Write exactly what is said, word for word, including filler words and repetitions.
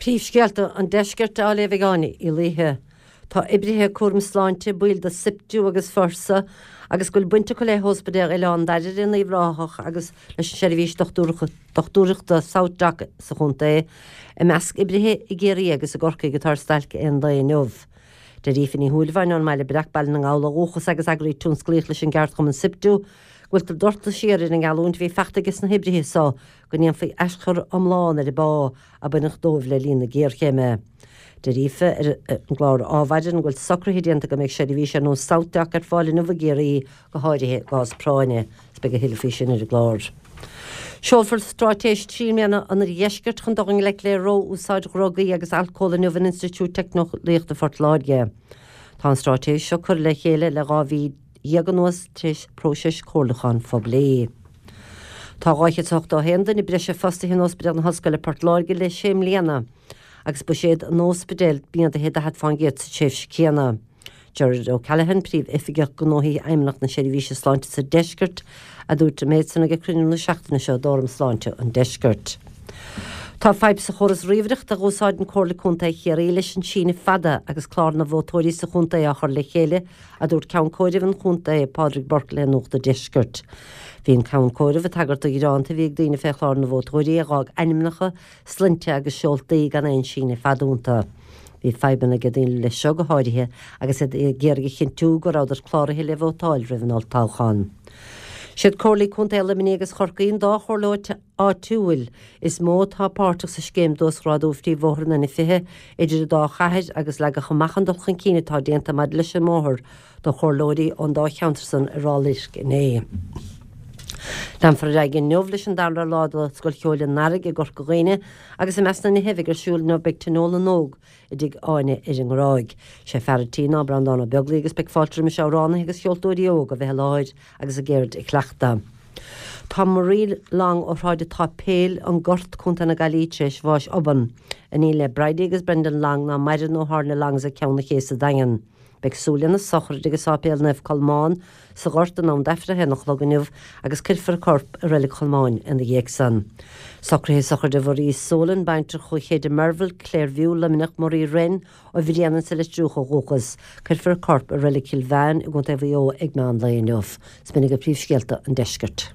Príomhscéalta an deiscirt á léamh ag Áine Uí Laoithe. Tá oibrithe cúram sláinte baill de SIPTU agus Forsa agus go bhfuil baint acu le hOspidéal Oileán Dairbhre in Uíbh Ráthach agus leis an seirbhís dochtúireachta SouthDoc sa chontae i measc oibrithe i gCiarraí agus i gCorcaigh atá ar stailc aon lae inniu. Deir Aoife Ní Shúilleabháin ón mBaile Breac Baile na nGall ó dhúchas agus eagraí tionsclaíoch leis an gceardchumann SIPTU, go bhfuiltear ag doirteadh siar ar an ngeallúint a bhí faighte aige sna hoibrithe so go ndéanfaí aischur iomlán ar an bpá a baineadh dóibh le linn na géarchéime. Deir Aoife ar an gclár Adhmhaidin go bhfuil socruithe déanta go mbeidh seirbhís ar nós SouthDoc ar fáil inniu i gCiarraí go háirithe i gcás práinne, is beidh a thuilleadh faoi sin ar an gclár. Seolfar straitéis trí mbliana an Oirdheiscirt chun dul i ngleic le ró-úsáid dhrugaí agus alcóil inniu in Institiúid Teicneolaíochta Phort Láirge. Tá an straitéis seo curtha le chéile le dhá mhí dhéag anuas tar éis próiseas comhairliúcháin phoiblí. Tá dhá chéad is ochtó a haon duine breise fostaithe in Ospidéal na hOllscoile Port Láirge le sé mbliana agus buiséad an ospidéil méadaithe daichead fán gcéad sa tréimhse céanna. Gerard O'Callaghan, Príomh-Oifigeach Gnóthaí Fheidhmeannacht na Seirbhíse Sláinte sa Deisceart, a dúirt an méid san ag cruinniú na seachtaine seo d'Fhóram Sláinte an Deiscirt. Tá fadhb sa chóras ríomhaireachta a úsáideann Comhairle Contae Chiarraí leis an síneadh fada agus clár na vótóirí sa chontae á chur le chéile, a dúirt Ceann Comhairimh an Chontae, Pádraig Burke le Nuacht an Deiscirt. Bhí an Ceann Comhairimh ag tagairt do ghearáin a bhí ag daoine fé chlár na vótóirí a d'fhág ainmneacha, sloinnte agus seoltaí gan aon síneadh fada iontu. Bhí fadhbanna ag daoine leis seo go háirithe agus iad ag iarraidh a chinntiú go rabhadar cláraithe le vótáil roimh an olltoghchán. Siad Comhairlí Contae Luimnigh agus Chorcaí an dá chomhairle áitiúil is mó atá páirteach sa scéim d'uasghrádú phríomhbhóthar an N fiche idir an dá chathair agus leagadh amach an dul chun cinn atá déanta maidir leis an mbóthar do chomhairleoirí ón dá cheantar san i Ráth Luirc inné. Leanfar ar aghaidh inniu leis an dara lá de Scoil Cheoil an Earraigh i gCorca Dhuibhne agus i measc na nithe a bheidh ar siúl inniu beidh Tionól na nÓg i dTigh Áine ar an nGráig. Sé fear an tí ná Breandán Ó Beaglaoich agus beidh fáilte roimis amhránaithe agus ceoltóirí óga a bheith i láthair agus a gceird a chleachtadh. Tá Marie Long ó Shráid an tSáipéil, an Gort, Contae na Gaillimhe tar éis bháis obann. Iníon le Bridie agus Brendan Long ná maireann ó tharla Longs ag Ceann an Ché sa Daingean. Beidh súil lena sochraid ag Sáipéal Naomh Colmán sa Ghort in am d'Aifreann a haon a chlog inniu agus cuirfear a corp i Reilig Cholmáin ina dhiaidh san. Socruithe sochraide Mharie Solan, baintreach ó Chéide Merville, Clairview, Luimneach, Marie Wren ó Bhréanainn sa Leitriúch ó dhúchas, cuirfear a corp i Reilig Chill Mheáin i gContae Mhaigh Eo ag meán lae inniu. Is b'in agaibh príomhscéalta an deiscirt.